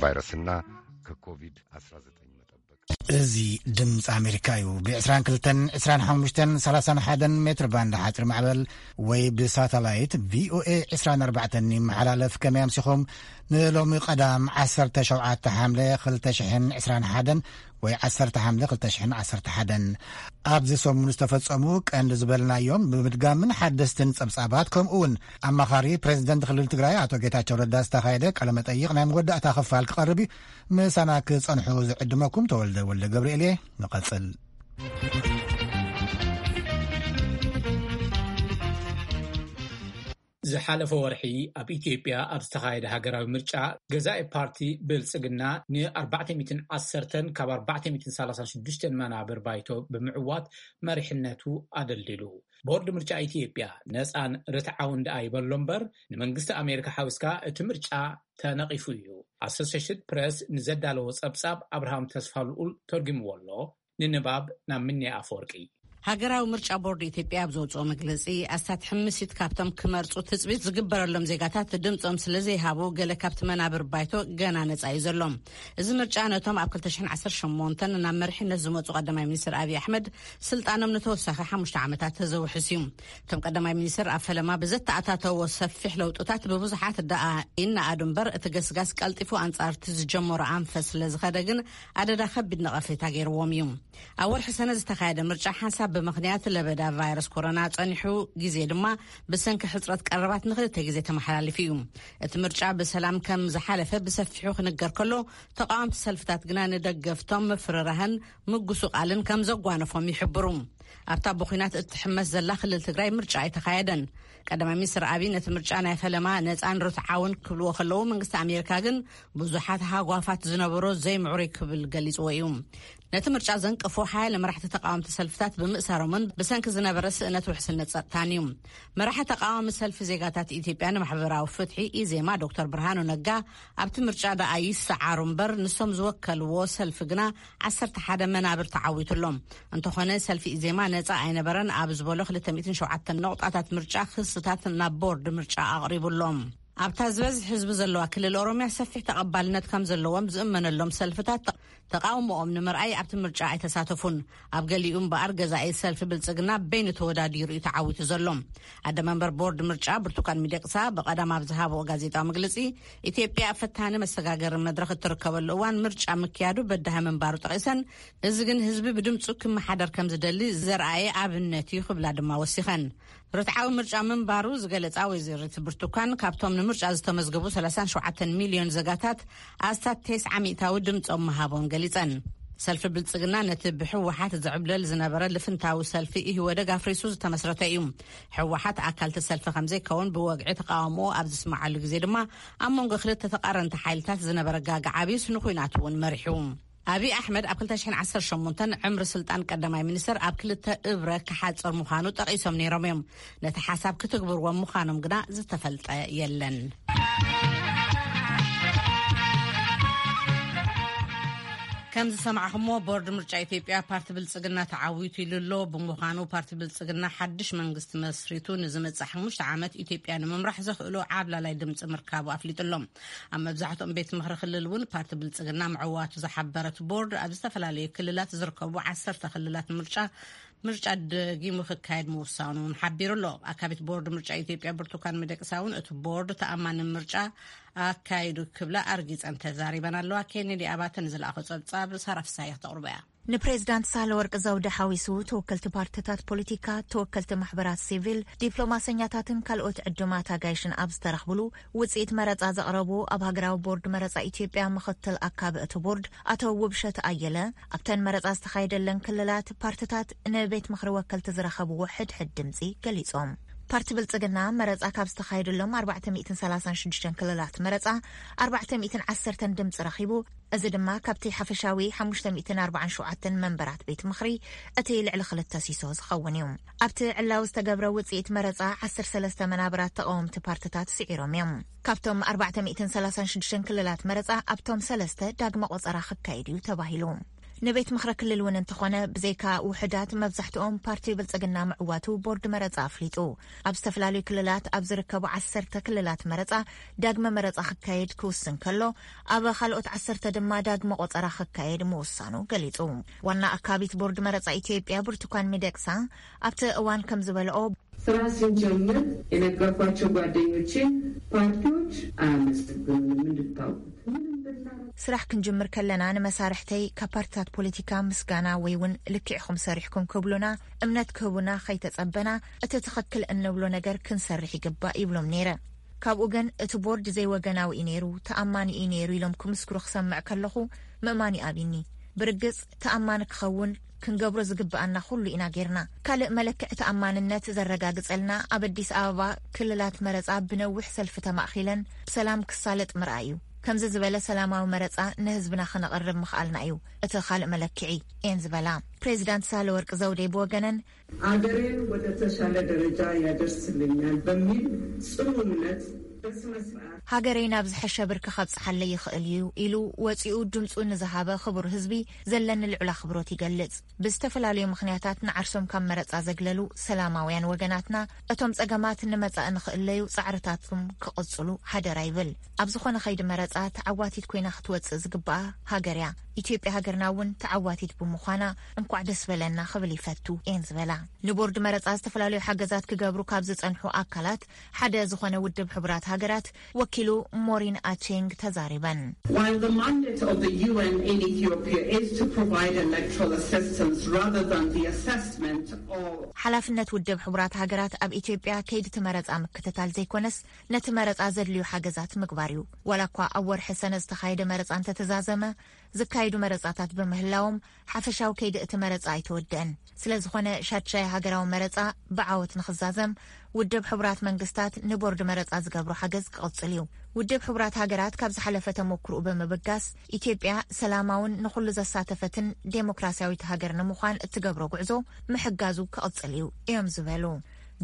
ቫይረስና ከኮቪድ-19 መጠበቅ። እዚ ድምፂ ኣሜሪካ እዩ። ብ22፣ 25፣ 31 ሜትር ባንድ ሓፂር ማዕበል ወይ ብሳተላይት ቪኦኤ 24 ይመሓላለፍ። ከመይ ኣምሲኹም? ንሎሚ ቀዳም 17 ሓምለ 2021 ወይ 10 ሓምለ 2011። ኣብዚ ሰሙን ዝተፈጸሙ ቀንዲ ዝበልናዮም ብምድጋምን ሓደስትን ጸብጻባት፣ ከምኡ እውን ኣማኻሪ ፕሬዚደንት ክልል ትግራይ ኣቶ ጌታቸው ረዳ ዝተኻየደ ቃለ መጠይቕ ናይ መወዳእታ ክፋል ክቐርብ እዩ። ምሳና ክጸንሑ ዝዕድመኩም ተወልደ ወልደ ገብርኤል እየ። ንቐጽል። ዝሓለፈ ወርሒ ኣብ ኢትዮጵያ ኣብ ዝተኻየደ ሃገራዊ ምርጫ፣ ገዛኢ ፓርቲ ብልጽግና ን410 ካብ 436 መናብር ባይቶ ብምዕዋት መሪሕነቱ ኣደልዲሉ። ቦርድ ምርጫ ኢትዮጵያ ነጻን ርትዓውን ደኣ ይበሎ እምበር፣ ንመንግስቲ ኣሜሪካ ሓዊስካ እቲ ምርጫ ተነቒፉ እዩ። ኣሶሴሽድ ፕረስ ንዘዳለዎ ጸብጻብ ኣብርሃም ተስፋ ልኡል ተርጉምዎ ኣሎ። ንንባብ ናብ ምንያ ኣፈወርቂ። ሃገራዊ ምርጫ ቦርድ ኢትዮጵያ ኣብ ዘውፅኦ መግለፂ፣ ኣስታት ሕምሲት ካብቶም ክመርፁ ትፅቢት ዝግበረሎም ዜጋታት ድምፆም ስለ ዘይሃቡ፣ ገለ ካብቲ መናብር ባይቶ ገና ነፃ እዩ ዘሎ። እዚ ምርጫ ነቶም ኣብ 2018 ናብ መሪሕነት ዝመፁ ቀዳማይ ሚኒስትር ኣብይ ኣሕመድ ስልጣኖም ንተወሳኺ ሓሙሽተ ዓመታት ዘውሕስ እዩ። እቶም ቀዳማይ ሚኒስትር ኣብ ፈለማ ብዘተኣታተዎ ሰፊሕ ለውጥታት ብብዙሓት ደኣ ይነኣዱ እምበር፣ እቲ ገስጋስ ቀልጢፉ ኣንጻር እቲ ዝጀመሮ ኣንፈት ስለ ዝኸደ ግን፣ ኣደዳ ከቢድ ነቐፌታ ገይርዎም እዩ። ኣብ ወርሒ ሰነ ዝተኻየደ ምርጫ ሓንሳብ ብምኽንያት ለበዳ ቫይረስ ኮሮና ጸኒሑ፣ ግዜ ድማ ብሰንኪ ሕጽረት ቀረባት ንኽልተ ግዜ ተመሓላሊፉ እዩ። እቲ ምርጫ ብሰላም ከም ዝሓለፈ ብሰፊሑ ክንገር ከሎ፣ ተቓወምቲ ሰልፍታት ግና ንደገፍቶም ምፍርራህን ምጉስቓልን ከም ዘጓነፎም ይሕብሩ። ኣብታ ብኹናት እትሕመስ ዘላ ክልል ትግራይ ምርጫ ኣይተኻየደን። ቀዳማይ ሚኒስትር ኣብይ ነቲ ምርጫ ናይ ፈለማ ነፃን ርትዓውን ክብልዎ ከለዉ፣ መንግስቲ ኣሜሪካ ግን ብዙሓት ሃጓፋት ዝነበሮ ዘይምዕሩይ ክብል ገሊፅዎ እዩ። ነቲ ምርጫ ዘንቀፉ ሓያለ መራሕቲ ተቃወምቲ ሰልፍታት ብምእሳሮምን ብሰንኪ ዝነበረ ስእነት ውሕስነት ጸጥታን እዩ። መራሒ ተቃዋሚ ሰልፊ ዜጋታት ኢትዮጵያ ንማሕበራዊ ፍትሒ፣ ኢዜማ፣ ዶክተር ብርሃኑ ነጋ ኣብቲ ምርጫ ደኣ ይሰዓሩ እምበር፣ ንሶም ዝወከልዎ ሰልፊ ግና 11 መናብር ተዓዊቱሎም። እንተኾነ፣ ሰልፊ ኢዜማ ነጻ ኣይነበረን ኣብ ዝበሎ 207 ነቑጣታት ምርጫ ክስታት ናብ ቦርድ ምርጫ ኣቕሪቡሎም። ኣብታ ዝበዝሕ ህዝቢ ዘለዋ ክልል ኦሮምያ ሰፊሕ ተቐባልነት ከም ዘለዎም ዝእመነሎም ሰልፍታት ተቓውሞኦም ንምርኣይ ኣብቲ ምርጫ ኣይተሳተፉን። ኣብ ገሊኡ እምበኣር፣ ገዛኢ ሰልፊ ብልጽግና በይኑ ተወዳዲሩ እዩ ተዓዊቱ ዘሎ። ኣደ መንበር ቦርድ ምርጫ ብርቱካን ሚደቅሳ ብቐዳም ኣብ ዝሃብኦ ጋዜጣዊ መግለጺ፣ ኢትዮጵያ ኣብ ፈታኒ መሰጋገሪ መድረኽ እትርከበሉ እዋን ምርጫ ምክያዱ በዳሂ ምንባሩ ጠቒሰን፣ እዚ ግን ህዝቢ ብድምጹ ክመሓደር ከም ዝደሊ ዘርኣየ ኣብነት እዩ ክብላ ድማ ወሲኸን። ርትዓዊ ምርጫ ምንባሩ ዝገለጻ ወይዘሪት ብርቱካን፣ ካብቶም ንምርጫ ዝተመዝገቡ 37 ሚልዮን ዜጋታት ኣስታት 90% ድምጾም ምሃቦም ገሊጸን። ሰልፊ ብልጽግና ነቲ ብህወሓት ዝዕብለል ዝነበረ ልፍንታዊ ሰልፊ ኢህወደግ ኣፍሪሱ ዝተመስረተ እዩ። ህወሓት ኣካልቲ ሰልፊ ከም ዘይከውን ብወግዒ ተቃውሞ ኣብ ዝስማዓሉ ግዜ ድማ፣ ኣብ መንጎ ክልተ ተቃረንቲ ሓይልታት ዝነበረ ጋግ ዓብዩስ ንኹናት እውን መሪሑ። ኣብይ ኣሕመድ ኣብ 2018 ዕምሪ ስልጣን ቀዳማይ ሚኒስትር ኣብ ክልተ እብረ ክሓጽር ምዃኑ ጠቒሶም ነይሮም እዮም። ነቲ ሓሳብ ክትግብርዎም ምዃኖም ግና ዝተፈልጠ የለን። ከም ዝሰማዕኹሞ፣ ቦርድ ምርጫ ኢትዮጵያ ፓርቲ ብልጽግና ተዓዊቱ ኢሉ ኣሎ። ብምዃኑ፣ ፓርቲ ብልጽግና ሓድሽ መንግስቲ መስሪቱ ንዝመጽእ ሓሙሽተ ዓመት ኢትዮጵያ ንምምራሕ ዘኽእሎ ዓብላላይ ድምጺ ምርካቡ ኣፍሊጡ ኣሎ። ኣብ መብዛሕትኦም ቤት ምኽሪ ክልል እውን ፓርቲ ብልጽግና ምዕዋቱ ዝሓበረት ቦርድ፣ ኣብ ዝተፈላለዩ ክልላት ዝርከቡ ዓሰርተ ክልላት ምርጫ፣ ምርጫ ደጊሙ ክካየድ ምውሳኑ እውን ሓቢሩ ኣሎ። ኣካቢት ቦርድ ምርጫ ኢትዮጵያ ብርቱካን ሚደቅሳ እውን፣ እቲ ቦርድ ተኣማኒ ምርጫ ኣካይዱ ክብላ ኣርጊጸን ተዛሪበን ኣለዋ። ኬኔዲ ኣባተ ንዝለኣኾ ጸብጻብ ሳራ ፍሳሐ ክተቕርቦ እያ። ንፕሬዚዳንት ሳህለወርቅ ዘውዴ ሓዊሱ፣ ተወከልቲ ፓርቲታት ፖለቲካ፣ ተወከልቲ ማሕበራት ሲቪል፣ ዲፕሎማሰኛታትን ካልኦት ዕዱማት ኣጋይሽን ኣብ ዝተረኽብሉ፣ ውጽኢት መረጻ ዘቕረቡ ኣብ ሃገራዊ ቦርድ መረጻ ኢትዮጵያ ምኽትል ኣካቢ እቲ ቦርድ ኣቶ ውብሸት ኣየለ፣ ኣብተን መረጻ ዝተኻየደለን ክልላት ፓርቲታት ንቤት ምኽሪ ወከልቲ ዝረኸብዎ ሕድሕድ ድምጺ ገሊጾም። ፓርቲ ብልጽግና መረጻ ካብ ዝተኻየደሎም 436 ክልላት መረጻ 410 ድምጺ ረኺቡ። እዚ ድማ ካብቲ ሓፈሻዊ 547 መንበራት ቤት ምኽሪ እቲ ልዕሊ ክልተ ሲሶ ዝኸውን እዩ። ኣብቲ ዕላዊ ዝተገብረ ውጽኢት መረጻ 13 መናብራት ተቓወምቲ ፓርቲታት ስዒሮም እዮም። ካብቶም 436 ክልላት መረጻ፣ ኣብቶም ሰለስተ ዳግመ ቆጸራ ክካየድ እዩ ተባሂሉ። ንቤት ምኽሪ ክልል እውን እንተኾነ፣ ብዘይካ ውሕዳት፣ መብዛሕትኦም ፓርቲ ብልጽግና ምዕዋቱ ቦርድ መረጻ ኣፍሊጡ። ኣብ ዝተፈላለዩ ክልላት ኣብ ዝርከቡ ዓሰርተ ክልላት መረጻ ዳግመ መረጻ ክካየድ ክውስን ከሎ፣ ኣብ ካልኦት ዓሰርተ ድማ ዳግመ ቆጸራ ክካየድ ምውሳኑ ገሊጹ። ዋና ኣካቢት ቦርድ መረጻ ኢትዮጵያ ብርቱካን ሚደቅሳ ኣብቲ እዋን ከም ዝበለኦ፣ ስራ ስንጀምር የነገርኳቸው ጓደኞቼ ፓርቲዎች አያመሰግኑንም እንድታውቁት። ምንም ብናረግ ስራሕ ክንጅምር ከለና ንመሳርሕተይ ካብ ፓርትታት ፖለቲካ ምስጋና ወይ እውን ልክዕኹም ሰሪሕኩም ክብሉና እምነት ክህቡና ከይተጸበና፣ እቲ ትኽክል እንብሎ ነገር ክንሰርሕ ይግባእ ይብሎም ነይረ። ካብኡ ግን እቲ ቦርድ ዘይወገናዊ እዩ ነይሩ፣ ተኣማኒ እዩ ነይሩ ኢሎም ክምስክሩ ክሰምዕ ከለኹ ምእማን ይኣብይኒ። ብርግጽ ተኣማኒ ክኸውን ክንገብሮ ዝግብኣና ኩሉ ኢና ጌርና። ካልእ መለክዒ ተኣማንነት ዘረጋግጸልና ኣብ ኣዲስ ኣበባ ክልላት መረጻ ብነዊሕ ሰልፊ ተማእኺለን ብሰላም ክሳለጥ ምርኣይ እዩ። ከምዚ ዝበለ ሰላማዊ መረጻ ንህዝብና ክነቕርብ ምኽኣልና እዩ እቲ ካልእ መለክዒ እየን ዝበላ። ፕሬዚዳንት ሳህለወርቅ ዘውዴ ብወገነን፣ አገሬን ወደ ተሻለ ደረጃ ያደርስልኛል በሚል ጽኑ እምነት በስነ ስርዓት ሃገረይ ናብ ዝሐሸ ብርኪ ከብጽሓለይ ይኽእል እዩ ኢሉ ወጺኡ ድምጹ ንዝሃበ ክቡር ህዝቢ ዘለኒ ልዑል ኣኽብሮት ይገልጽ። ብዝተፈላለዩ ምኽንያታት ንዓርሶም ካብ መረጻ ዘግለሉ ሰላማውያን ወገናትና፣ እቶም ጸገማት ንመጻኢ ንኽእለዩ ጻዕርታቶም ክቕጽሉ ሓደራ ይብል። ኣብ ዝኾነ ኸይዲ መረጻ ተዓዋቲት ኮይና ክትወጽእ ዝግብኣ ሃገር እያ። ኢትዮጵያ ሃገርና እውን ተዓዋቲት ብምዃና እንኳዕ ደስ በለና ክብል ይፈቱ እየን ዝበላ። ንቦርድ መረጻ ዝተፈላለዩ ሓገዛት ክገብሩ ካብ ዝጸንሑ ኣካላት ሓደ ዝኾነ ውድብ ሕቡራት ሃገራት ወኪሉ ሞሪን ኣቼንግ ተዛሪበን። While the mandate of the U N in Ethiopia is to provide electoral assistance rather than the assessment of ሓላፍነት ውድብ ሕቡራት ሃገራት ኣብ ኢትዮጵያ ከይዲ እቲ መረጻ ምክትታል ዘይኮነስ፣ ነቲ መረጻ ዘድልዩ ሓገዛት ምግባር እዩ። ዋላ እኳ ኣብ ወርሒ ሰነ ዝተኻየደ መረጻ እንተተዛዘመ፣ ዝካየዱ መረጻታት ብምህላዎም፣ ሓፈሻዊ ከይዲ እቲ መረጻ ኣይተወደአን። ስለ ዝኾነ፣ ሻድሻይ ሃገራዊ መረጻ ብዓወት ንኽዛዘም፣ ውድብ ሕቡራት መንግስታት ንቦርድ መረጻ ዝገብሮ ሓገዝ ክቕጽል እዩ። ውድብ ሕቡራት ሃገራት ካብ ዝሓለፈ ተሞክርኡ ብምብጋስ፣ ኢትዮጵያ ሰላማውን ንኹሉ ዘሳተፈትን ዴሞክራሲያዊት ሃገር ንምዃን እትገብሮ ጉዕዞ ምሕጋዙ ክቕጽል እዩ እዮም ዝበሉ።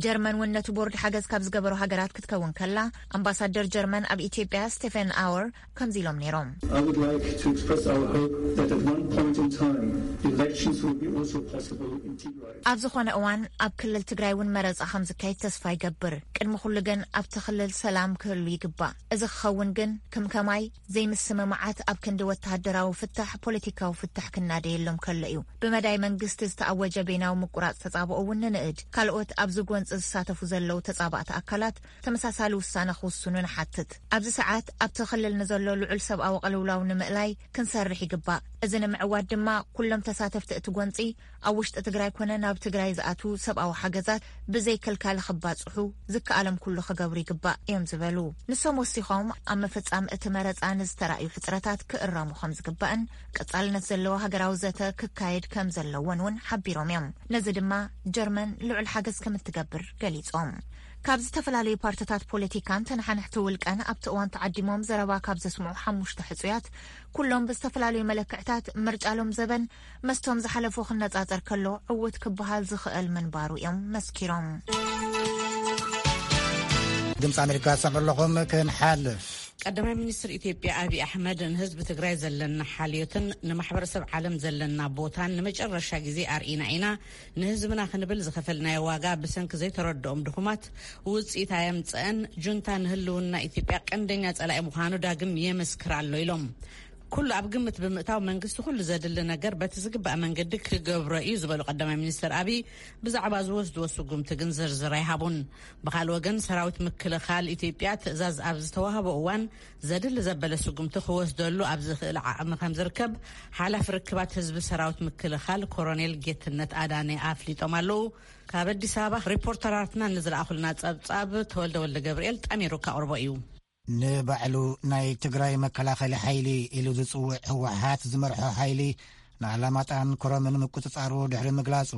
ጀርመን እውን ነቲ ቦርድ ሓገዝ ካብ ዝገበሩ ሃገራት ክትከውን ከላ፣ ኣምባሳደር ጀርመን ኣብ ኢትዮጵያ ስቴፈን ኣወር ከምዚ ኢሎም ነይሮም። I would like to express our hope that at one point in time, elections will be also possible in Tigray. ኣብ ዝኾነ እዋን ኣብ ክልል ትግራይ እውን መረጻ ከም ዝካየድ ተስፋ ይገብር። ቅድሚ ኩሉ ግን ኣብቲ ክልል ሰላም ክህሉ ይግባእ። እዚ ክኸውን ግን ከም ከማይ ዘይምስምማዓት ኣብ ክንዲ ወተሃደራዊ ፍታሕ ፖለቲካዊ ፍታሕ ክናደየሎም ከሎ እዩ። ብመዳይ መንግስቲ ዝተኣወጀ በይናዊ ምቁራጽ ተጻብኦ እውን ንንእድ። ካልኦት ኣብዚ ጎንጺ ዝሳተፉ ዘለዉ ተጻባእቲ ኣካላት ተመሳሳሊ ውሳነ ክውስኑ ንሓትት። ኣብዚ ሰዓት ኣብቲ ክልል ንዘሎ ልዑል ሰብኣዊ ቅልውላው ንምእላይ ክንሰርሕ ይግባእ። እዚ ንምዕዋት ድማ ኩሎም ተሳተፍቲ እቲ ጎንጺ ኣብ ውሽጢ ትግራይ ኮነ ናብ ትግራይ ዝኣትዉ ሰብኣዊ ሓገዛት ብዘይ ከልካሊ ክባጽሑ ዝከኣሎም ኩሉ ክገብሩ ይግባእ እዮም ዝበሉ። ንሶም ወሲኾም ኣብ ምፍጻም እቲ መረጻ ንዝተራእዩ ሕጽረታት ክእረሙ ከም ዝግባእን ቀጻልነት ዘለዎ ሃገራዊ ዘተ ክካየድ ከም ዘለዎን እውን ሓቢሮም እዮም። ነዚ ድማ ጀርመን ልዑል ሓገዝ ከም እትገብር ገሊጾም። ካብ ዝተፈላለዩ ፓርትታት ፖለቲካን ተነሓነሕቲ ውልቀን ኣብቲ እዋን ተዓዲሞም ዘረባ ካብ ዘስምዑ ሓሙሽተ ሕጹያት፣ ኩሎም ብዝተፈላለዩ መለክዕታት ምርጫ ሎም ዘበን መስቶም ዝሓለፉ ክነጻጸር ከሎ ዕውት ክበሃል ዝኽእል ምንባሩ እዮም መስኪሮም። ድምፂ ኣሜሪካ ትሰምዑ ኣለኹም። ክንሓልፍ። ቀዳማይ ሚኒስትር ኢትዮጵያ ኣብይ ኣሕመድ፣ ንህዝቢ ትግራይ ዘለና ሓልዮትን ንማሕበረሰብ ዓለም ዘለና ቦታን ንመጨረሻ ግዜ ኣርኢና ኢና፣ ንህዝብና ክንብል ዝኸፈልናዮ ዋጋ ብሰንኪ ዘይተረድኦም ድኹማት ውፅኢት ኣየምፀአን፣ ጁንታ ንህልውና ኢትዮጵያ ቀንደኛ ፀላኢ ምዃኑ ዳግም የመስክር ኣሎ ኢሎም። ኩሉ ኣብ ግምት ብምእታው መንግስቲ ኩሉ ዘድሊ ነገር በቲ ዝግባእ መንገዲ ክገብሮ እዩ ዝበሉ ቀዳማይ ሚኒስትር ኣብይ፣ ብዛዕባ ዝወስድዎ ስጉምቲ ግን ዝርዝር ኣይሃቡን። ብኻልእ ወገን ሰራዊት ምክልኻል ኢትዮጵያ ትእዛዝ ኣብ ዝተዋህቦ እዋን ዘድሊ ዘበለ ስጉምቲ ክወስደሉ ኣብ ዝኽእል ዓቕሚ ከም ዝርከብ ሓላፊ ርክባት ህዝቢ ሰራዊት ምክልኻል ኮሮኔል ጌትነት ኣዳነ ኣፍሊጦም ኣለዉ። ካብ ኣዲስ ኣበባ ሪፖርተራትና ንዝለኣኹልና ጸብጻብ ተወልደ ወልደ ገብርኤል ጠሚሩ ከቕርቦ እዩ። ንባዕሉ ናይ ትግራይ መከላኸሊ ሓይሊ ኢሉ ዝጽውዕ ህወሓት ዝመርሖ ሓይሊ ንኣላማጣን ኮረምን ምቁጽጻሩ ድሕሪ ምግላጹ፣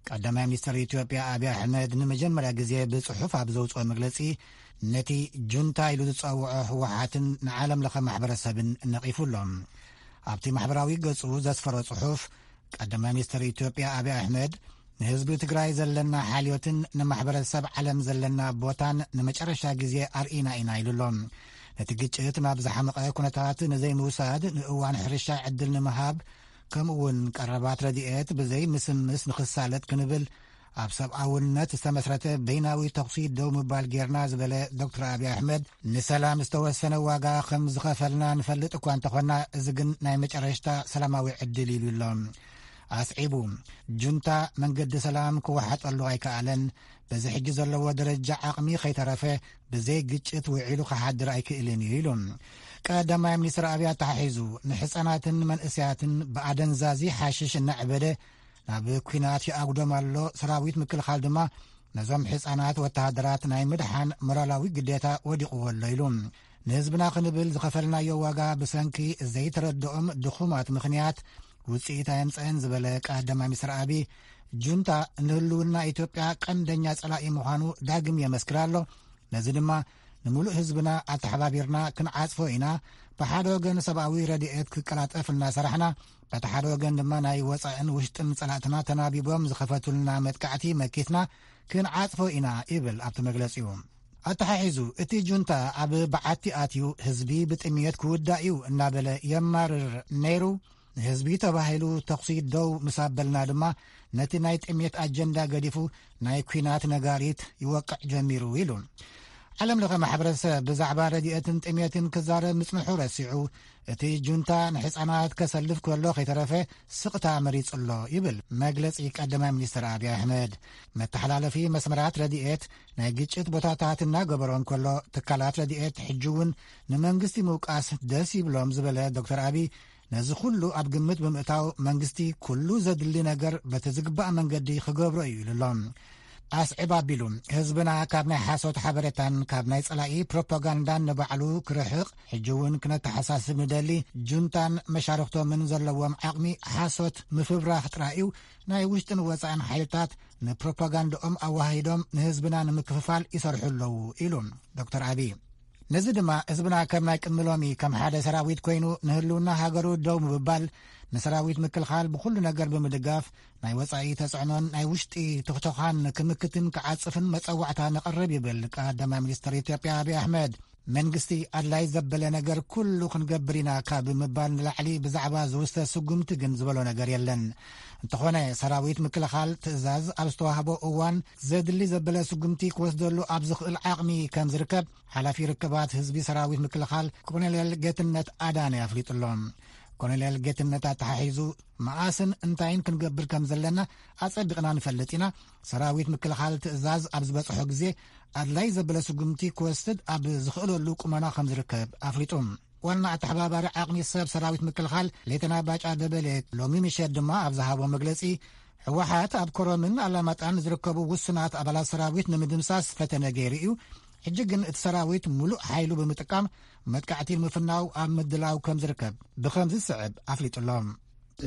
ቀዳማይ ሚኒስትር ኢትዮጵያ ኣብይ ኣሕመድ ንመጀመርያ ግዜ ብጽሑፍ ኣብ ዘውጽኦ መግለጺ፣ ነቲ ጁንታ ኢሉ ዝጸውዖ ህወሓትን ንዓለም ለኸ ማሕበረሰብን ነቒፉ ኣሎ። ኣብቲ ማሕበራዊ ገጹ ዘስፈሮ ጽሑፍ፣ ቀዳማይ ሚኒስትር ኢትዮጵያ ኣብይ ኣሕመድ፣ ንህዝቢ ትግራይ ዘለና ሓልዮትን ንማሕበረሰብ ዓለም ዘለና ቦታን ንመጨረሻ ግዜ ኣርኢና ኢና ኢሉ ኣሎ። ነቲ ግጭት ናብ ዝሓመቐ ኩነታት ንዘይምውሳድ፣ ንእዋን ሕርሻ ዕድል ንምሃብ፣ ከምኡ እውን ቀረባት ረድኤት ብዘይ ምስምስ ንኽሳለጥ ክንብል ኣብ ሰብኣውነት ዝተመስረተ በይናዊ ተኹሲ ደው ምባል ጌርና ዝበለ ዶክተር ኣብይ ኣሕመድ፣ ንሰላም ዝተወሰነ ዋጋ ከም ዝኸፈልና ንፈልጥ እኳ እንተኾና፣ እዚ ግን ናይ መጨረሽታ ሰላማዊ ዕድል ኢሉ ኣሎ። ኣስዒቡ፣ ጁንታ መንገዲ ሰላም ክወሓጠሉ ኣይከኣለን፣ በዚ ሕጂ ዘለዎ ደረጃ ዓቕሚ ከይተረፈ ብዘይ ግጭት ውዒሉ ክሓድር ኣይክእልን እዩ ኢሉ። ቀዳማይ ሚኒስትር ኣብይ ኣተሓሒዙ፣ ንሕፃናትን መንእሰያትን ብኣደንዛዚ ሓሽሽ እናዕበደ ናብ ኲናት ይኣጉዶም ኣሎ፣ ሰራዊት ምክልኻል ድማ ነዞም ሕፃናት ወተሃደራት ናይ ምድሓን ሞራላዊ ግዴታ ወዲቕዎ ኣሎ ኢሉ። ንህዝብና ክንብል ዝኸፈልናዮ ዋጋ ብሰንኪ ዘይተረድኦም ድኹማት ምኽንያት ውፅኢት ኣየምፀአን ዝበለ ቀዳማይ ሚኒስትር ኣብይ፣ ጁንታ ንህልውና ኢትዮጵያ ቀንደኛ ጸላኢ ምዃኑ ዳግም የመስክር ኣሎ። ነዚ ድማ ንምሉእ ህዝብና ኣተሓባቢርና ክንዓጽፎ ኢና። ብሓደ ወገን ሰብኣዊ ረድኤት ክቀላጠፍ እናሰራሕና፣ በቲ ሓደ ወገን ድማ ናይ ወጻእን ውሽጥን ጸላእትና ተናቢቦም ዝኸፈቱልና መጥቃዕቲ መኪትና ክንዓጽፎ ኢና ይብል ኣብቲ መግለጺኡ። ኣተሓሒዙ፣ እቲ ጁንታ ኣብ በዓቲ ኣትዩ ህዝቢ ብጥምየት ክውዳእ እዩ እናበለ የማርር ነይሩ። ንህዝቢ ተባሂሉ ተኹሲ ደው ምስ ኣበልና ድማ ነቲ ናይ ጥምየት ኣጀንዳ ገዲፉ ናይ ኲናት ነጋሪት ይወቅዕ ጀሚሩ ኢሉ። ዓለም ለኸ ማሕበረሰብ ብዛዕባ ረድኤትን ጥምየትን ክዛረብ ምጽንሑ ረሲዑ፣ እቲ ጁንታ ንሕፃናት ከሰልፍ ከሎ ከይተረፈ ስቕታ መሪጹ ኣሎ ይብል መግለጺ ቀዳማይ ሚኒስትር ኣብይ ኣሕመድ። መተሓላለፊ መስመራት ረድኤት ናይ ግጭት ቦታታት እናገበሮ እንከሎ፣ ትካላት ረድኤት ሕጂ እውን ንመንግስቲ ምውቃስ ደስ ይብሎም ዝበለ ዶክተር ኣብይ፣ ነዚ ኩሉ ኣብ ግምት ብምእታው መንግስቲ ኩሉ ዘድሊ ነገር በቲ ዝግባእ መንገዲ ክገብሮ እዩ ኢሉ ኣሎ። ኣስዕብ ኣቢሉ፣ ህዝብና ካብ ናይ ሓሶት ሓበሬታን ካብ ናይ ጸላኢ ፕሮፓጋንዳን ንባዕሉ ክርሕቕ፣ ሕጂ እውን ክነተሓሳስብ ንደሊ፣ ጁንታን መሻርኽቶምን ዘለዎም ዓቕሚ ሓሶት ምፍብራኽ ጥራይ እዩ። ናይ ውሽጥን ወጻእን ሓይልታት ንፕሮፓጋንዳኦም ኣዋሂዶም ንህዝብና ንምክፍፋል ይሰርሑ ኣለዉ ኢሉ ዶክተር ኣብይ። ነዚ ድማ ህዝብና ከም ናይ ቅድሚ ሎሚ ከም ሓደ ሰራዊት ኮይኑ ንህልውና ሃገሩ ደው ምብባል፣ ንሰራዊት ምክልኻል ብኹሉ ነገር ብምድጋፍ፣ ናይ ወጻኢ ተጽዕኖን ናይ ውሽጢ ትኽተዃን ክምክትን ክዓጽፍን መጸዋዕታ ነቕርብ ይብል ቀዳማይ ሚኒስትር ኢትዮጵያ ኣብይ ኣሕመድ። መንግስቲ ኣድላይ ዘበለ ነገር ኩሉ ክንገብር ኢና ካብ ምባል ንላዕሊ ብዛዕባ ዝውስተ ስጉምቲ ግን ዝበሎ ነገር የለን። እንተኾነ ሰራዊት ምክልኻል ትእዛዝ ኣብ ዝተዋህቦ እዋን ዘድሊ ዘበለ ስጉምቲ ክወስደሉ ኣብ ዝኽእል ዓቕሚ ከም ዝርከብ ሓላፊ ርክባት ህዝቢ ሰራዊት ምክልኻል ኮሎኔል ጌትነት ኣዳነ ኣፍሊጡ ኣሎ። ኮሎኔል ጌትነት ኣተሓሒዙ፣ መኣስን እንታይን ክንገብር ከም ዘለና ኣጸቢቕና ንፈልጥ ኢና። ሰራዊት ምክልኻል ትእዛዝ ኣብ ዝበጽሖ ግዜ ኣድላይ ዘበለ ስጉምቲ ክወስድ ኣብ ዝኽእለሉ ቁመና ከም ዝርከብ ኣፍሊጡ። ዋና ኣተሓባባሪ ዓቕሚ ሰብ ሰራዊት ምክልኻል ሌተና ባጫ ደበሌ ሎሚ ምሸት ድማ ኣብ ዝሃቦ መግለጺ፣ ህወሓት ኣብ ኮረምን ኣላማጣን ዝርከቡ ውሱናት ኣባላት ሰራዊት ንምድምሳስ ፈተነ ገይሩ እዩ። ሕጂ ግን እቲ ሰራዊት ሙሉእ ሓይሉ ብምጥቃም መጥቃዕቲ ንምፍናው ኣብ ምድላው ከም ዝርከብ ብኸም ዝስዕብ ኣፍሊጡ ኣሎ።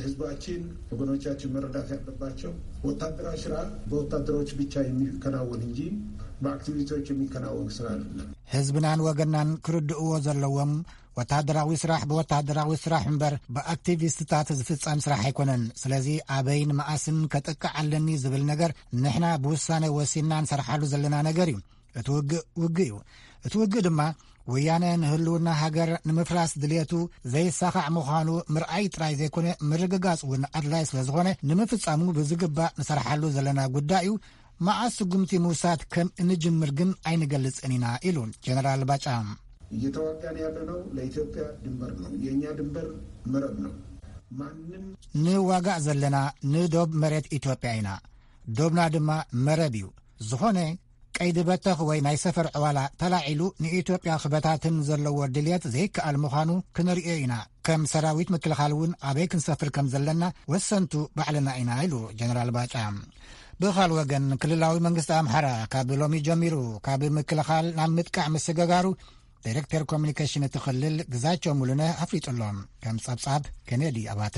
ህዝባችን ወገኖቻችን መረዳት ያለባቸው ወታደራዊ ስራ በወታደሮች ብቻ የሚከናወን እንጂ በአክቲቪስቶች የሚከናወን ስራ አይደለም። ህዝብናን ወገናን ክርድእዎ ዘለዎም፣ ወተሃደራዊ ስራሕ ብወተሃደራዊ ስራሕ እምበር ብኣክቲቪስትታት ዝፍጸም ስራሕ ኣይኮነን። ስለዚ ኣበይን መኣስን ከጥቅዕ ኣለኒ ዝብል ነገር ንሕና ብውሳነ ወሲንና ንሰርሓሉ ዘለና ነገር እዩ። እቲ ውግእ ውግእ እዩ። እቲ ውግእ ድማ ወያነ ንህልውና ሃገር ንምፍራስ ድልየቱ ዘይሳኻዕ ምዃኑ ምርኣይ ጥራይ ዘይኮነ፣ ምርግጋጽ እውን ኣድላይ ስለ ዝኾነ፣ ንምፍጻሙ ብዝግባእ ንሰርሓሉ ዘለና ጉዳይ እዩ። መዓስ ስጉምቲ ምውሳድ ከም እንጅምር ግን ኣይንገልጽን ኢና ኢሉ ጀነራል ባጫ። እየተዋጋን ያለነው ለኢትዮጵያ ድንበር ነው። የእኛ ድንበር መረብ ነው። ማንም ንዋጋእ ዘለና ንዶብ መሬት ኢትዮጵያ ኢና። ዶብና ድማ መረብ እዩ። ዝኾነ ቀይዲ በተኽ ወይ ናይ ሰፈር ዕዋላ ተላዒሉ ንኢትዮጵያ ክበታትን ዘለዎ ድልየት ዘይከኣል ምዃኑ ክነርእዮ ኢና። ከም ሰራዊት ምክልኻል እውን ኣበይ ክንሰፍር ከም ዘለና ወሰንቱ ባዕልና ኢና ኢሉ ጀነራል ባጫ። ብኻል ወገን ክልላዊ መንግስቲ ኣምሓራ ካብ ሎሚ ጀሚሩ ካብ ምክልኻል ናብ ምጥቃዕ ምስግጋሩ ዳይሬክተር ኮሚኒኬሽን እቲ ክልል ግዛቸው ሙሉነ ኣፍሊጡ ኣሎ። ከም ጸብጻብ ኬኔዲ ኣባተ።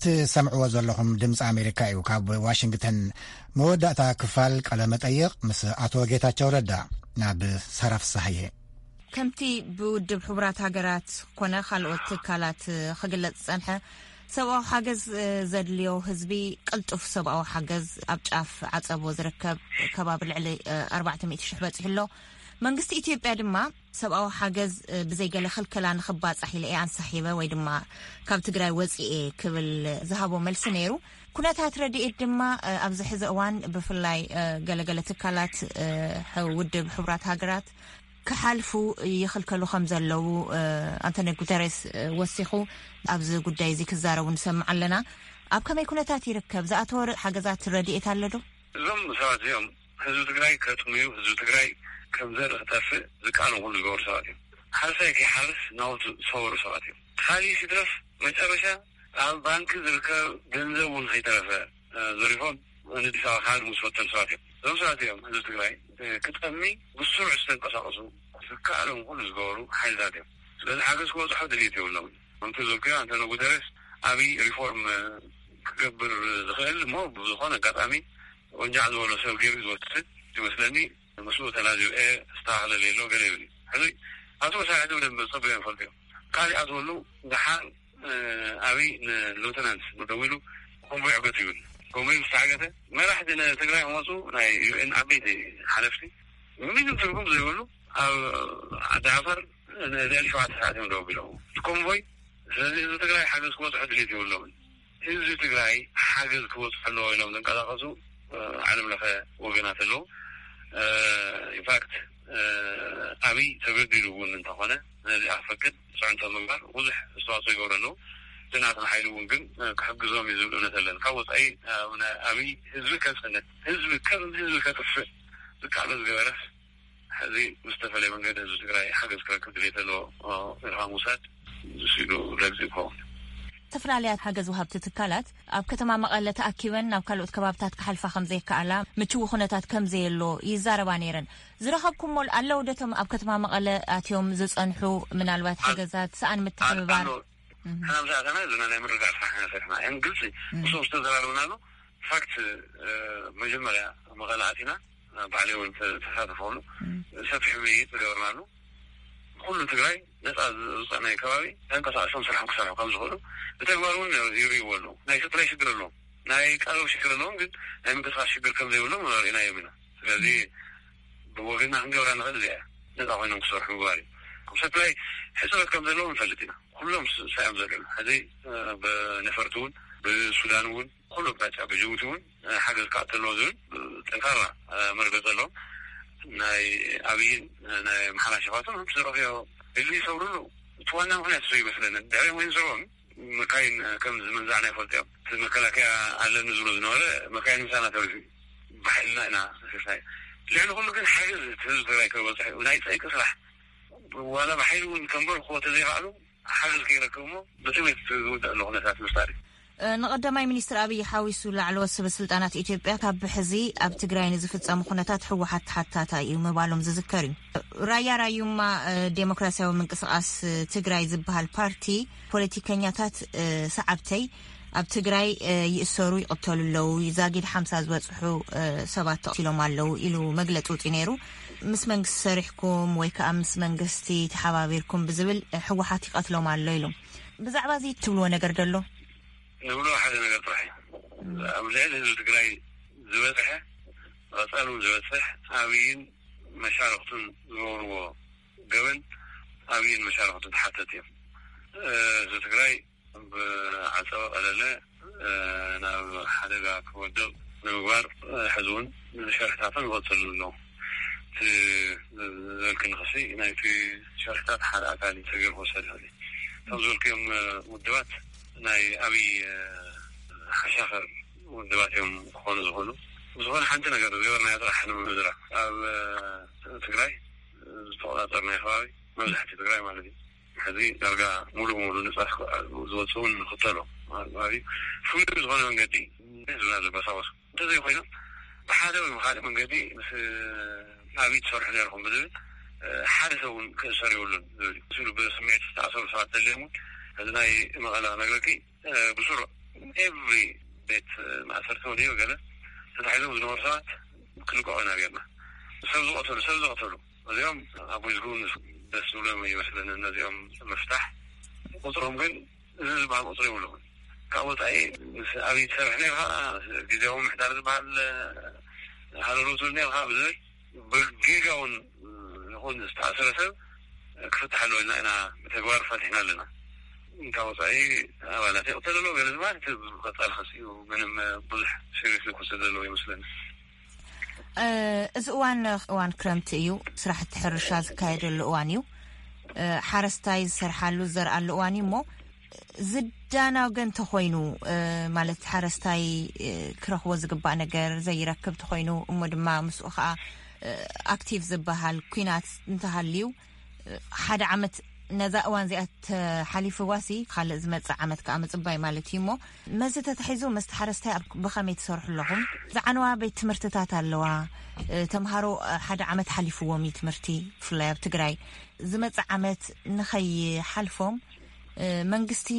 ትሰምዕዎ ዘለኹም ድምፂ ኣሜሪካ እዩ። ካብ ዋሽንግተን መወዳእታ ክፋል ቃለ መጠይቕ ምስ ኣቶ ጌታቸው ረዳ ናብ ሳራ ፍሳሃየ። ከምቲ ብውድብ ሕቡራት ሃገራት ኮነ ካልኦት ትካላት ክግለጽ ዝጸንሐ፣ ሰብኣዊ ሓገዝ ዘድልዮ ህዝቢ ቅልጡፍ ሰብኣዊ ሓገዝ ኣብ ጫፍ ዓጸቦ ዝርከብ ከባቢ ልዕሊ ኣርባዕተ ሚእቲ ሽሕ በጺሑ ኣሎ። መንግስቲ ኢትዮጵያ ድማ ሰብኣዊ ሓገዝ ብዘይገለ ክልከላ ንኽባጻሕ ኢለ እየ ኣንሳሒበ ወይ ድማ ካብ ትግራይ ወፂኤ ክብል ዝሃቦ መልሲ ነይሩ። ኩነታት ረድኤት ድማ ኣብዚ ሕዚ እዋን ብፍላይ ገለገለ ትካላት ውድብ ሕቡራት ሃገራት ክሓልፉ ይኽልከሉ ከም ዘለዉ ኣንቶኒ ጉተሬስ ወሲኹ ኣብዚ ጉዳይ እዚ ክዛረቡ ንሰምዕ ኣለና። ኣብ ከመይ ኩነታት ይርከብ? ዝኣተወ ሓገዛት ረድኤት ኣሎ ዶ? እዞም ሰባት እዚኦም ህዝቢ ትግራይ ከጥምዩ፣ ህዝቢ ትግራይ ከም ዘርኢ ክጠፍእ ዝቃለሙ ኩሉ ዝገበሩ ሰባት እዮም። ሓረስታይ ከይሓርስ ናውቱ ዝሰበሩ ሰባት እዮም። ካሊእ ሲትረፍ መጨረሻ ኣብ ባንኪ ዝርከብ ገንዘብ እውን ከይተረፈ ዘሪፎም ንዲስ ኣበባ ክሃድሙ ዝፈተኑ ሰባት እዮም። እዞም ሰባት እዮም ህዝቢ ትግራይ ክጠሚ ብስሩዕ ዝተንቀሳቀሱ ዝከኣሎም ኩሉ ዝገበሩ ሓይልታት እዮም። ስለዚ ሓገዝ ክበፅሖ ድልየት የብሎም። ከምቲ ዝበልኩዮ ኣንቶኒ ጉተረስ ኣብይ ሪፎርም ክገብር ዝኽእል እሞ ብዝኾነ ኣጋጣሚ ወንጃዕ ዝበሎ ሰብ ገይሩ ዝወስድ ይመስለኒ። ምስኡ ተላዚበ ዝተባህለ ሌሎ ገለ ይብል እዩ። ሕዚ ኣቶ መሳርሕቲ ብደንብ ፀብዮም ይፈልጡ እዮም። ካልእ ኣትወሉ ደሓር ኣብይ ንሉተናንት ደዊሉ ኮንቮይ ዕገት ይብል። ኮንቮይ ምስ ተዓገተ መራሕቲ ንትግራይ ክመፁ ናይ ዩ ኤን ዓበይቲ ሓለፍቲ ምንም ትርጉም ዘይብሉ ኣብ ዓዲ ዓፈር ንልዕሊ ሸውዓተ ሰዓት እዮም ደው ኣቢሎም እቲ ኮንቮይ። ስለዚ ህዝቢ ትግራይ ሓገዝ ክበፅሖ ድሌት የብሎምን። ህዝቢ ትግራይ ሓገዝ ክበፅሖ ኣለዎ ኢሎም ዝንቀሳቀሱ ዓለም ለኸ ወገናት ኣለዉ። ኢንፋክት ኣብይ ተገዲዱ እውን እንተኾነ ነዚኣ ክፈቅድ ፅዕንቶ ምግባር ብዙሕ ኣስተዋፅኦ ይገብሩ ኣለዉ። እቲ ናትና ሓይሊ እውን ግን ክሕግዞም እዩ ዝብል እምነት ኣለኒ። ካብ ወፃኢ ኣብይ ህዝቢ ከፅንት ህዝቢ ከም ህዝቢ ከጥፍእ ዝቃለስ ገበረስ ሕዚ ብዝተፈለየ መንገዲ ህዝቢ ትግራይ ሓገዝ ክረክብ ድሌት ኣለዎ ኢልካ ምውሳድ ዝስኢሉ ረግፂ ይኸውን። ዝተፈላለያ ሓገዝ ወሃብቲ ትካላት ኣብ ከተማ መቐለ ተኣኪበን ናብ ካልኦት ከባብታት ክሓልፋ ከም ዘይከኣላ ምችዊ ኩነታት ከም ዘየሎ ይዛረባ ነይረን። ዝረኸብኩሞ ኣለዉ ዶ እቶም ኣብ ከተማ መቐለ ኣትዮም ዝጸንሑ ምናልባት ሓገዛት ሰኣን ምትሕብባር? ንሕና ምስ ኣተና ዘለና ናይ ምርግጋእ ስራሕ ኢና ሰሪሕና። ያን ግልፂ ምስኦም ዝተዘራረብናሉ ፋክት መጀመርያ መቐለ ኣቲና ባዕለይ እውን ተሳተፈሉ ሰፊሕ ውይይት ዝገበርናሉ ኩሉ ትግራይ ነፃ ዝውፃእ ናይ ከባቢ ተንቀሳቀሶም ስራሕም ክሰርሑ ከም ዝኽእሉ ብተግባር እውን ይርእይዎ ኣለዉ። ናይ ሰፕላይ ሽግር ኣለዎም፣ ናይ ቀረብ ሽግር ኣለዎም፣ ግን ናይ ምንቅስቃስ ሽግር ከም ዘይብሎም ርኢናዮም ኢና። ስለዚ ብወገንና ክንገብራ ንኽእል እዚኣ ነፃ ኮይኖም ክሰርሑ ምግባር እዩ። ሰፕላይ ሕፅረት ከም ዘለዎም ንፈልጥ ኢና። ኩሎም ሳዮም ዘለዉ ሕዚ ብነፈርቲ እውን ብሱዳን እውን ኩሉ ኣቅጣጫ ብጅቡቲ እውን ሓገዝ ክኣቱ ኣለዎ ዝብል ጠንካራ መርገፂ ኣለዎም። ናይ ኣብይን ናይ ኣምሓራ ሸፋቱን ከም ዝረኽዮ ድሊ ይሰብሩሉ እቲ ዋና ምክንያት እሱ ይመስለኒ። ድሕሪ ወይ ዝረኦም መካይን ከም ዝምንዛዕና ይፈልጡ እዮም። እቲ መከላከያ ኣለኒ ዝብሎ ዝነበረ መካይን ምሳና ተሪፉ እዩ። ብሓይልና ኢና ሰፊርናዮ። ልዕሊ ኩሉ ግን ሓገዝ እቲ ህዝቢ ትግራይ ከበፅሕ እዩ። ናይ ፀይቂ ስራሕ ዋላ ብሓይሊ እውን ከንበርክዎ ተዘይኸኣሉ ሓገዝ ከይረክብ እሞ ብጥሜት ዝውዳእ ዘሎ ኩነታት ምፍጣር እዩ። ንቀዳማይ ሚኒስትር ኣብይ ሓዊሱ ላዕለዎት ሰበ ስልጣናት ኢትዮጵያ ካብ ሕዚ ኣብ ትግራይ ንዝፍጸሙ ኩነታት ህወሓት ተሓታታይ እዩ ምባሎም ዝዝከር እዩ። ራያ ራዩማ ዴሞክራሲያዊ ምንቅስቃስ ትግራይ ዝበሃል ፓርቲ ፖለቲከኛታት ሰዓብተይ ኣብ ትግራይ ይእሰሩ ይቕተሉ ኣለዉ፣ ዛጊድ ሓምሳ ዝበጽሑ ሰባት ተቕቲሎም ኣለዉ ኢሉ መግለጺ ውጺ ነይሩ። ምስ መንግስቲ ሰሪሕኩም ወይ ከዓ ምስ መንግስቲ ተሓባቢርኩም ብዝብል ህወሓት ይቐትሎም ኣሎ ኢሉ። ብዛዕባ እዚ ትብልዎ ነገር ደሎ? ንብሎ ሓደ ነገር ጥራሕ እዩ። ኣብ ልዕሊ ህዝቢ ትግራይ ዝበፅሐ፣ ቀፃሉ ዝበፅሕ ኣብይን መሻርክቱን ዝገብርዎ ገበን ኣብይን መሻርክቱን ተሓተት እዮም። ህዝቢ ትግራይ ብዓፀወ ቀለለ ናብ ሓደጋ ክወድቕ ንምግባር ሕዚ እውን ሸርሕታቶም ይቐፅሉ ኣለዉ። እቲ ዝበልክኒ ክሲ ናይቲ ሸርሕታት ሓደ ኣካል እዩ ተገይሩ ክወሰድ ይኽእል እዩ። እቶም ዝበልክዮም ውድባት ናይ ኣብይ ሓሻኸር ውድባት እዮም ክኾኑ ዝኽእሉ። ዝኾነ ሓንቲ ነገር ዝገበርናዮ ጥራሕ ንምዝራብ ኣብ ትግራይ ዝተቆፃፀርናዮ ከባቢ መብዛሕትኡ ትግራይ ማለት እዩ ሕዚ ዳርጋ ሙሉእ ብሙሉእ ነፃ ዝወፅኡ እውን ንኽተሎ ማለት እዩ። ፍሉይ ዝኾነ መንገዲ ህዝብና ዘበሳበሱ እንተዘይኮይኑ ብሓደ ወይ ብካሊእ መንገዲ ምስ ኣብይ ትሰርሑ ነርኩም ብዝብል ሓደ ሰብ እውን ክእሰር የብሉን ዝብል እዩ። ብስምዒት ዝተኣሰሩ ሰባት ተልዮም እውን እዚ ናይ መቐለ ክነግረኪ ብስሩ ኤቭሪ ቤት ማእሰርቲ ወዲኡ ገለ ተታሒዞም ዝነበሩ ሰባት ክልቀቑ ኢና ጌርና። ሰብ ዝቐተሉ ሰብ ዝቐተሉ እዚኦም ኣብ ዊዝጉን ደስ ዝብሎም ይመስለኒ ነዚኦም ምፍታሕ። ቁፅሮም ግን እዚ ዝበሃል ቁፅሪ የብሉን። ካብ ወፃኢ ምስ ኣብይ ትሰርሕ ነርካ ግዜያዊ ምሕዳር ዝበሃል ሃለሎ ትብል ነርካ ብዝብል ብጌጋውን ይኹን ዝተኣሰረ ሰብ ክፍትሕ ኣለዎ ኢልና ኢና ብተግባር ፈቲሕና ኣለና። ካብ ወፃኢ ኣባላት ይቕተል ኣለዎ ገለ ዝበሃል እቲ ቀፃሊ ክሲ እዩ። ምንም ብዙሕ ሲሪየስ ክወስድ ዘለዎ ይመስለኒ። እዚ እዋን እዋን ክረምቲ እዩ። ስራሕቲ ሕርሻ ዝካየደሉ እዋን እዩ። ሓረስታይ ዝሰርሓሉ ዝዘርኣሉ እዋን እዩ። እሞ ዝዳና ወገን ተኾይኑ፣ ማለት ሓረስታይ ክረኽቦ ዝግባእ ነገር ዘይረክብ ተኾይኑ፣ እሞ ድማ ምስኡ ከዓ ኣክቲቭ ዝበሃል ኲናት እንተሃልዩ፣ ሓደ ዓመት ነዛ እዋን እዚኣ ተሓሊፍዋሲ ካልእ ዝመጽእ ዓመት ከዓ ምጽባይ ማለት እዩ። እሞ መዚ ተታሒዙ መስተ ሓረስታይ ኣብ ብኸመይ ትሰርሑ ኣለኹም? ዝዓነዋ ቤት ትምህርትታት ኣለዋ። ተምሃሮ ሓደ ዓመት ሓሊፍዎም እዩ ትምህርቲ፣ ብፍላይ ኣብ ትግራይ። ዝመጽእ ዓመት ንኸይሓልፎም መንግስቲ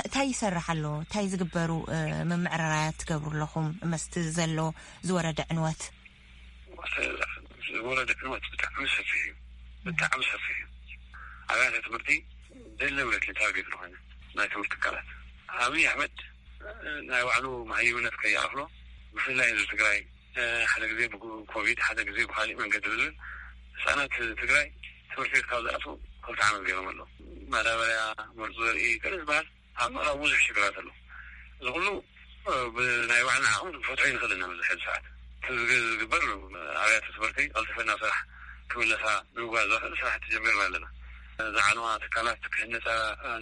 እንታይ ይሰርሕ ኣሎ? እንታይ ዝግበሩ ምምዕራራያት ትገብሩ ኣለኹም? መስቲ ዘሎ ዝወረደ ዕንወት ዝወረደ ዕንወት ብጣዕሚ ሰፊሕ እዩ። ብጣዕሚ ሰፊሕ እዩ። ኣብያተ ትምህርቲ ደለ ብለት ታርጌት ዝኾነ ናይ ትምህርቲ ትካላት ኣብይ ኣሕመድ ናይ ባዕሉ መሃይምነት ከይኣኽሎ ብፍላይ ህዝቢ ትግራይ ሓደ ግዜ ብኮቪድ ሓደ ግዜ ብካሊእ መንገዲ ዝብል ህፃናት ትግራይ ትምህርቲ ቤት ካብ ዝኣትዉ ክልተ ዓመት ገይሮም ኣለዉ። ማዳበርያ፣ መርዙ ዘርኢ ገለ ዝበሃል ኣብ ምዕራብ ብዙሕ ሽግራት ኣሎ። እዚ ኩሉ ብናይ ባዕልና ዓቕሚ ንፈትሖ ይንኽእል ኢና። ኣብዚ ሕዚ ሰዓት እቲ ዝግ- ዝግበር ኣብያተ ትምህርቲ ቀልጢፈን ናብ ስራሕ ክምለሳ ንምግባር ዘኽእል ስራሕቲ ጀሚርና ኣለና። ዝዓነዋ ትካላት ክህነፃ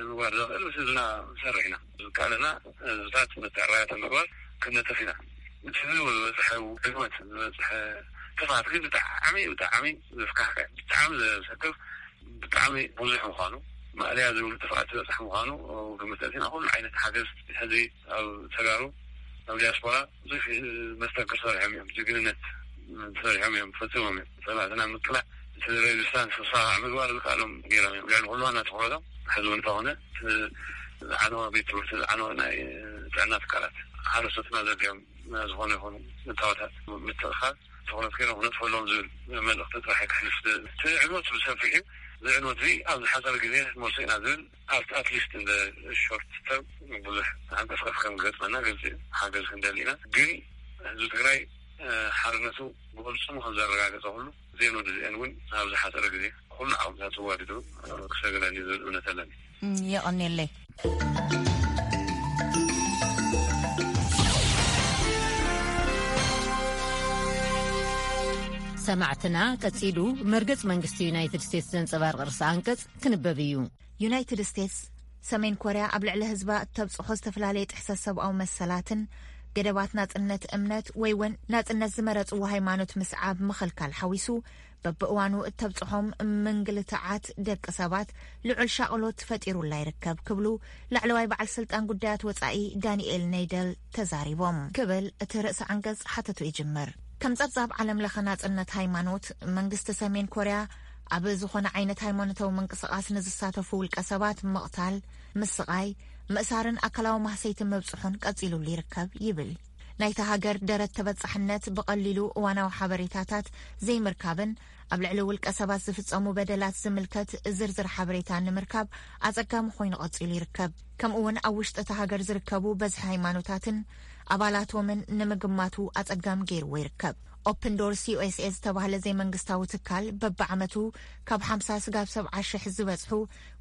ንምግባር ዘኽእል ምስ ህዝብና ንሰርሕ ኢና። ዝከኣለና ህዝብታት መተዕራያተ ምግባር ክንነጥፍ ኢና። እቲ ዝበፅሐ ዕንወት ዝበፅሐ ጥፍኣት ግን ብጣዕሚ ብጣዕሚ ዘስካሕክሕ ብጣዕሚ ዘሰክፍ ብጣዕሚ ብዙሕ ምዃኑ ማእለያ ዘይብሉ ጥፍኣት ዝበፅሕ ምዃኑ ግምት ኣእቲና ኩሉ ዓይነት ሓገዝ ሕዚ ኣብ ተጋሩ ኣብ ዲያስፖራ ብዙሕ መስተንክር ሰሪሖም እዮም። ጅግንነት ሰሪሖም እዮም ፈፂሞም እዮም። ፀላእትና ምቅላዕ እቲ ሬዚስታንስ ክሳዕ ምግባር ዝከኣሎም ገይሮም እዮም። ልዕሊ ኩሉ ዋና ትኩረቶም ሕዚ እውን እንተኾነ ዝዓነወ ቤት ትምህርቲ ዝዓነወ ናይ ጥዕና ትካላት ሓረስቶትና ዘድልዮም ዝኾነ ይኹኑ እታወታት ምትእኻል ትኹረት ገይሮም ክነጥፈሎም ዝብል መልእኽቲ ጥራሕ ከሕልፍ። እቲ ዕንወት ብሰፊሑ እዚ ዕንወት እዚ ኣብ ዝሓፀረ ግዜ ክንመልሶ ኢና ዝብል ኣብቲ ኣትሊስት እንደ ሾርት ተርም ብዙሕ ዓንቀፍቀፍ ከም ገጥመና ግልፂ እዩ። ሓገዝ ክንደሊ ኢና። ግን ህዝቢ ትግራይ ሓርነቱ ብቅልፅሙ ከም ዘረጋገፀ ኩሉ ዜን ወዲ ዜን እውን ኣብ ዝሓፀረ ግዜ ኩሉ ዓቕምታት ተዋዲዱ ክሰግረኒ ዝብል እምነት ኣለኒ። የቐኔለይ። ሰማዕትና ቀጺሉ መርገጽ መንግስቲ ዩናይትድ ስቴትስ ዘንጸባርቕ ርእሰ ኣንቀጽ ክንበብ እዩ። ዩናይትድ ስቴትስ ሰሜን ኮርያ ኣብ ልዕሊ ህዝባ እተብጽሖ ዝተፈላለየ ጥሕሰት ሰብኣዊ መሰላትን ገደባት ናጽነት እምነት ወይ እውን ናጽነት ዝመረጽዎ ሃይማኖት ምስዓብ ምኽልካል ሓዊሱ በብእዋኑ እተብጽሖም ምንግልትዓት ደቂ ሰባት ልዑል ሻቕሎት ፈጢሩላ ይርከብ ክብሉ ላዕለዋይ በዓል ስልጣን ጉዳያት ወጻኢ ዳንኤል ነይደል ተዛሪቦም ክብል እቲ ርእሰ ዓንቀጽ ሓተቱ ይጅምር። ከም ጸብጻብ ዓለም ለኸ ናጽነት ሃይማኖት መንግስቲ ሰሜን ኮርያ ኣብ ዝኾነ ዓይነት ሃይማኖታዊ ምንቅስቓስ ንዝሳተፉ ውልቀ ሰባት ምቕታል፣ ምስቓይ፣ ምእሳርን ኣካላዊ ማህሰይቲ ምብጽሑን ቀጺሉሉ ይርከብ ይብል። ናይታ ሃገር ደረት ተበጻሕነት ብቐሊሉ እዋናዊ ሓበሬታታት ዘይምርካብን ኣብ ልዕሊ ውልቀ ሰባት ዝፍጸሙ በደላት ዝምልከት ዝርዝር ሓበሬታ ንምርካብ ኣጸጋሚ ኮይኑ ቀጺሉ ይርከብ። ከምኡ እውን ኣብ ውሽጢ እታ ሃገር ዝርከቡ በዝሒ ሃይማኖታትን ኣባላቶምን ንምግማቱ ኣጸጋሚ ገይርዎ ይርከብ። ኦፕን ዶርስ ዩ ኤስ ኤ ዝተባህለ ዘይመንግስታዊ ትካል በብዓመቱ ካብ ሓምሳ ስጋብ ሰብዓ ሽሕ ዝበጽሑ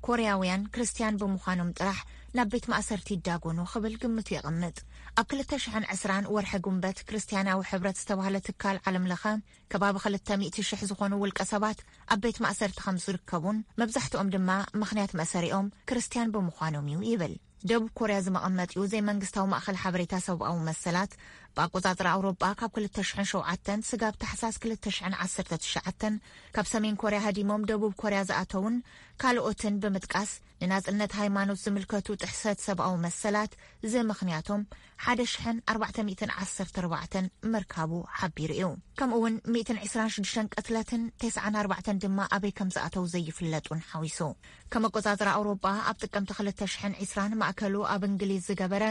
ኮርያውያን ክርስትያን ብምዃኖም ጥራሕ ናብ ቤት ማእሰርቲ ይዳጎኑ ክብል ግምቱ የቐምጥ። ኣብ ክልተ ሽሕን ዕስራን ወርሒ ጉንበት ክርስትያናዊ ሕብረት ዝተባህለ ትካል ዓለም ለኸ ከባቢ ክልተ ሚእቲ ሽሕ ዝኾኑ ውልቀ ሰባት ኣብ ቤት ማእሰርቲ ከም ዝርከቡን መብዛሕትኦም ድማ ምኽንያት መእሰሪኦም ክርስትያን ብምዃኖም እዩ ይብል። ደቡብ ኮርያ ዝመቐመጢኡ ዘይመንግስታዊ ማእኸል ሓበሬታ ሰብኣዊ መሰላት ብኣቆጻጽራ ኣውሮጳ ካብ ክልተ ሽሕን ሸውዓተን ስጋብ ታሕሳስ ክልተ ሽሕን ዓሰርተ ትሽዓተን ካብ ሰሜን ኮርያ ሃዲሞም ደቡብ ኮርያ ዝኣተውን ካልኦትን ብምጥቃስ ንናጽነት ሃይማኖት ዝምልከቱ ጥሕሰት ሰብኣዊ መሰላት ዝምኽንያቶም ሓደ ሽሕን ኣርባዕተ ሚእትን ዓሰርተ ኣርባዕተን ምርካቡ ሓቢሩ እዩ። ከምኡ እውን ሚእትን ዕስራን ሽዱሽተን ቅትለትን ተስዓን ኣርባዕተን ድማ ኣበይ ከም ዝኣተው ዘይፍለጡን ሓዊሱ። ከም ኣቆጻጽራ ኣውሮጳ ኣብ ጥቅምቲ ክልተ ሽሕን ዕስራን ማእከሉ ኣብ እንግሊዝ ዝገበረ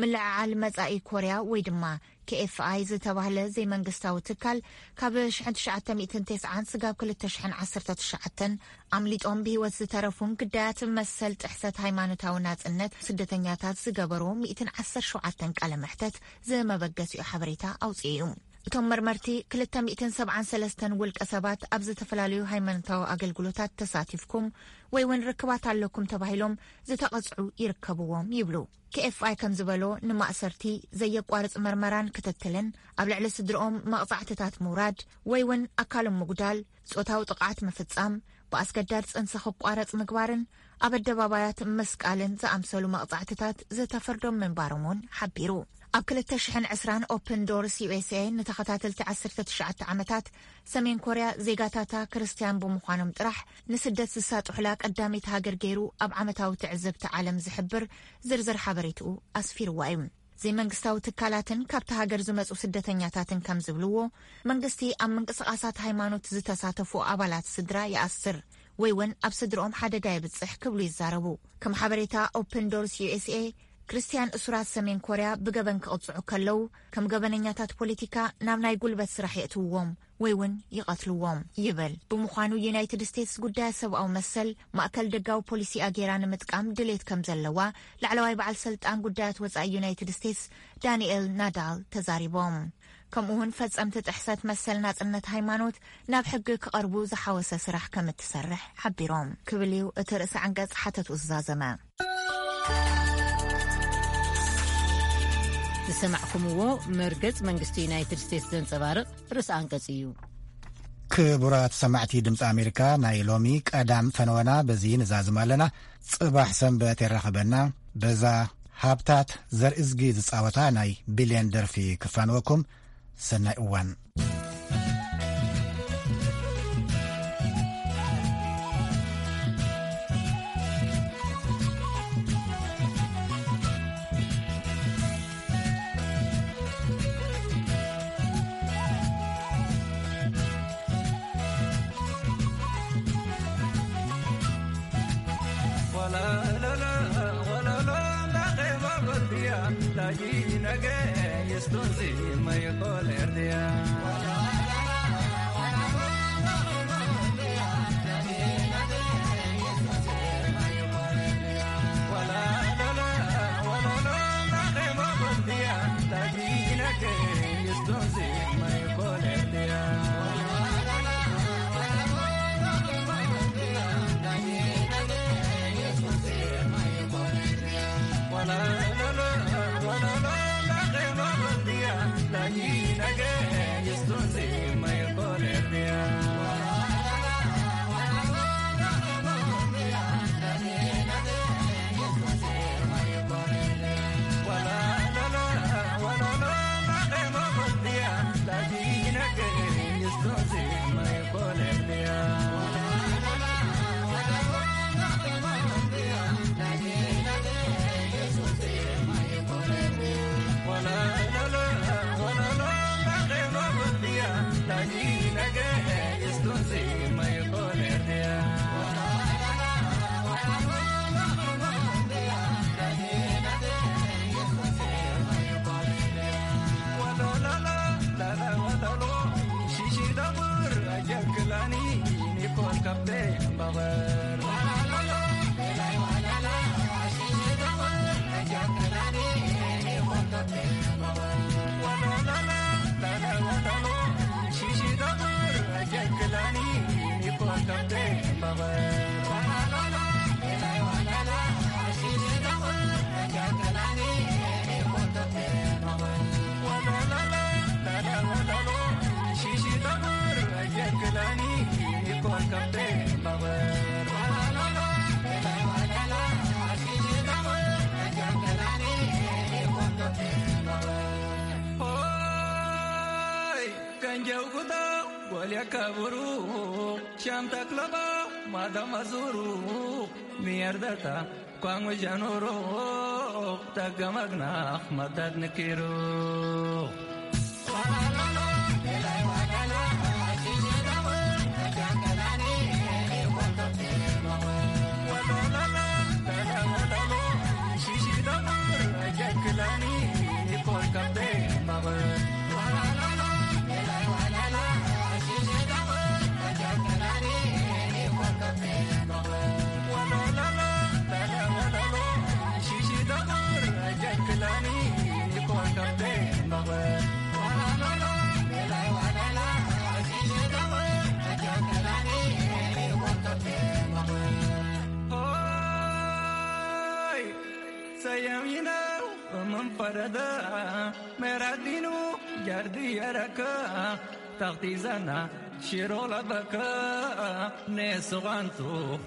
ምልዕዓል መጻኢ ኮርያ ወይ ድማ ኬኤፍኣይ ዝተባህለ ዘይመንግስታዊ ትካል ካብ ሽሕን ትሽዓተ ሚእትን ተስዓን ስጋብ ክልተ ሽሕን ዓሰርተ ትሽዓተን ኣምሊጦም ብህይወት ዝተረፉን ግዳያት መሰል ጥሕሰት ሃይማኖታዊ ናጽነት ስደተኛታት ዝገበሩ ሚእትን ዓሰርተ ሸውዓተን ቃለ መሕተት ዝመበገሲኡ ሓበሬታ ኣውፅኡ እዩ። እቶም መርመርቲ ክልተ ሚእትን ሰብዓን ሰለስተን ውልቀ ሰባት ኣብ ዝተፈላለዩ ሃይማኖታዊ ኣገልግሎታት ተሳቲፍኩም ወይ እውን ርክባት ኣለኩም ተባሂሎም ዝተቐጽዑ ይርከብዎም ይብሉ። ኬኤፍኣይ ከም ዝበሎ፣ ንማእሰርቲ፣ ዘየቋርጽ መርመራን ክትትልን፣ ኣብ ልዕሊ ስድርኦም መቕጻዕትታት ምውራድ ወይ እውን ኣካሎም ምጉዳል፣ ጾታዊ ጥቕዓት ምፍጻም፣ ብኣስገዳድ ጽንሲ ክቋረጽ ምግባርን ኣብ ኣደባባያት ምስቃልን ዝኣምሰሉ መቕጻዕትታት ዝተፈርዶም ምንባሮም እውን ሓቢሩ። ኣብ ክልተ ሽሕን ዕስራን ኦፕን ዶርስ ዩኤስኤ ንተኸታተልቲ ዓሰርተ ትሽዓተ ዓመታት ሰሜን ኮርያ ዜጋታታ ክርስትያን ብምዃኖም ጥራሕ ንስደት ዝሳጥሑላ ቀዳመይቲ ሃገር ገይሩ ኣብ ዓመታዊ ትዕዝብቲ ዓለም ዝሕብር ዝርዝር ሓበሬትኡ ኣስፊርዋ እዩ። ዘይመንግስታዊ ትካላትን ካብቲ ሃገር ዝመጹ ስደተኛታትን ከም ዝብልዎ፣ መንግስቲ ኣብ ምንቅስቓሳት ሃይማኖት ዝተሳተፉ ኣባላት ስድራ ይኣስር ወይ እውን ኣብ ስድርኦም ሓደጋ የብጽሕ ክብሉ ይዛረቡ። ከም ሓበሬታ ኦፕን ዶርስ ዩኤስኤ፣ ክርስትያን እሱራት ሰሜን ኮርያ ብገበን ክቕጽዑ ከለዉ፣ ከም ገበነኛታት ፖለቲካ ናብ ናይ ጉልበት ስራሕ የእትውዎም ወይ እውን ይቐትልዎም ይብል። ብምዃኑ ዩናይትድ ስቴትስ ጉዳያት ሰብኣዊ መሰል ማእከል ደጋዊ ፖሊሲኣ ገይራ ንምጥቃም ድሌት ከም ዘለዋ ላዕለዋይ በዓል ስልጣን ጉዳያት ወጻኢ ዩናይትድ ስቴትስ ዳንኤል ናዳል ተዛሪቦም። ከምኡ እውን ፈጸምቲ ጥሕሰት መሰል ናጽነት ሃይማኖት ናብ ሕጊ ክቐርቡ ዝሓወሰ ስራሕ ከም እትሰርሕ ሓቢሮም። ክብል እዩ እቲ ርእሰ ዓንቀጽ ሓተቱ ዝዛዘመ። ዝሰማዕኩምዎ መርገጽ መንግስቲ ዩናይትድ ስቴትስ ዘንጸባርቕ ርእሰ ኣንቀጽ እዩ። ክቡራት ሰማዕቲ ድምፂ ኣሜሪካ፣ ናይ ሎሚ ቀዳም ፈነወና በዚ ንዛዝም ኣለና። ጽባሕ ሰንበት የራኽበና። በዛ ሃብታት ዘርእዝጊ ዝጻወታ ናይ ቢልየን ደርፊ ክፋንወኩም። ሰናይ እዋን። ሆይ ከንጀውኩታ ጎልያ ከብሩ ሻምታ ክለባ ማዳማ ዙሩ ሚያርዳታ ኳንጉ ጃኑሩ ተገመግናኽ መዳድ ንኪሩ يمينه ومن فرده، ميرادينو جردي يركا، تغتي زنا شيرو لبكا، نيسو غانتو.